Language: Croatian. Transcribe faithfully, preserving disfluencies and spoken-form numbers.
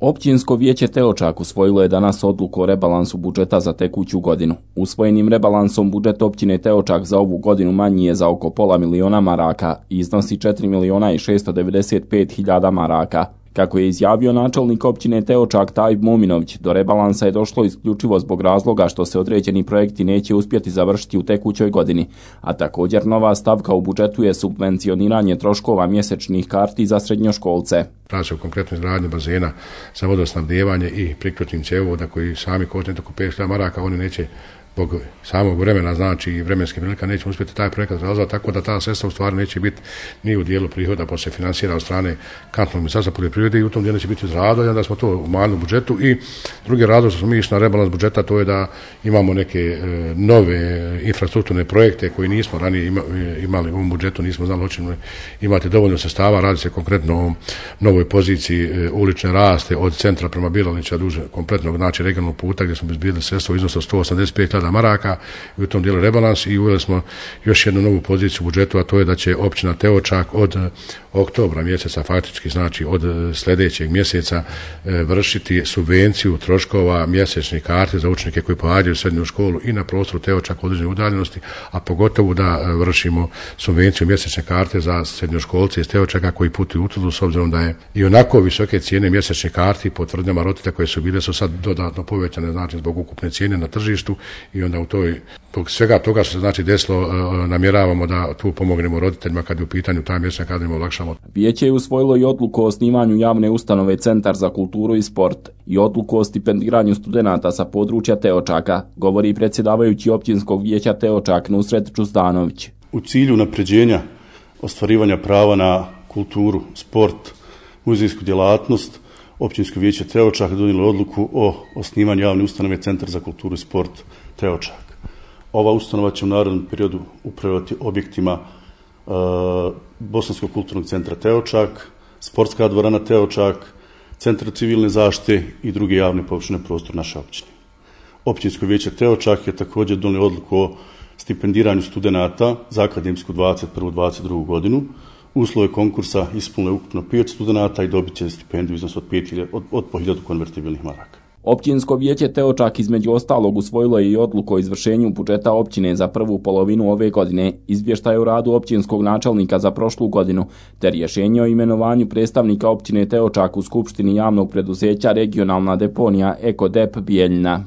Općinsko vijeće Teočak usvojilo je danas odluku o rebalansu budžeta za tekuću godinu. Usvojenim rebalansom budžet općine Teočak za ovu godinu manji je za oko pola miliona maraka i iznosi četiri miliona i šesto devedeset pet hiljada maraka. Kako je izjavio načelnik općine Teočak Tajib Mominović, do rebalansa je došlo isključivo zbog razloga što se određeni projekti neće uspjeti završiti u tekućoj godini, a također nova stavka u budžetu je subvencioniranje troškova mjesečnih karti za srednjoškolce. Radi se o konkretnoj izgradnji bazena za vodosnabdijevanje i priključnim cjevovoda koji sami koštaju oko pet hiljada maraka, oni neće zbog samog vremena, znači i vremenske prilika, nećemo uspjeti taj projekat realizovati, tako da ta sredstva u stvari neće biti ni u dijelu prihoda, pa se financira od strane kantonskom ministarstva poljoprivrede i u tom dijelu će biti izradovanja, da smo to umanjili u budžetu. I drugi razlog što smo mi išli na rebalans budžeta, to je da imamo neke e, nove infrastrukturne projekte koji nismo ranije ima, imali u ovom budžetu, nismo znali hoćemo imati dovoljno sredstava. Radi se konkretno o novoj poziciji e, ulične raste od centra prema Bilalića duže kompletnog, znači regionalnog puta gdje smo bezbjedili sredstva u iznosu od sto osamdeset pet hiljada maraka i u tom dijelu rebalans, i uveli smo još jednu novu poziciju u budžetu, a to je da će općina Teočak od oktobra mjeseca, faktički znači od sljedećeg mjeseca, vršiti subvenciju troškova mjesečnih karti za učenike koji pohađaju srednju školu i na prostoru Teočak u određenoj udaljenosti, a pogotovo da vršimo subvenciju mjesečne karte za srednjoškolce iz Teočaka koji putuju u Tuzlu, s obzirom da je i onako visoke cijene mjesečnih karti po tvrdnjama roditelja koje su bile su sad dodatno povećane, znači zbog ukupne cijene na tržištu, i onda u toj, zbog svega toga što se znači desilo, namjeravamo da tu pomognemo roditeljima kad je u pitanju ta mjesečna karta, im olakšamo. Vijeće je usvojilo i odluku o osnivanju javne ustanove Centar za kulturu i sport i odluku o stipendiranju studenata sa područja Teočaka, govori predsjedavajući općinskog vijeća Teočak Nusret Čuzdanović. U cilju unapređenja ostvarivanja prava na kulturu, sport, muzejsku djelatnost, općinsko vijeće Teočak donijelo odluku o osnivanju javne ustanove Centar za kulturu i sport Teočak. Ova ustanova će u narednom periodu upravljati objektima e, Bosanskog kulturnog centra Teočak, sportska dvorana Teočak, centar civilne zaštite i druge javne površine prostor naše općine. Općinsko vijeće Teočak je također donijelo odluku o stipendiranju studenata za akademsku dvadeset prvu dvadeset drugu godinu. Uslove konkursa ispunilo je ukupno pet studenata i dobit će stipendiju iznos od, od, od po hiljadu konvertibilnih maraka. Općinsko vijeće Teočak između ostalog usvojilo je i odluku o izvršenju budžeta općine za prvu polovinu ove godine, izvještaj o radu općinskog načelnika za prošlu godinu, te rješenje o imenovanju predstavnika općine Teočak u skupštini javnog preduzeća Regionalna deponija Eko D E P Bijeljina.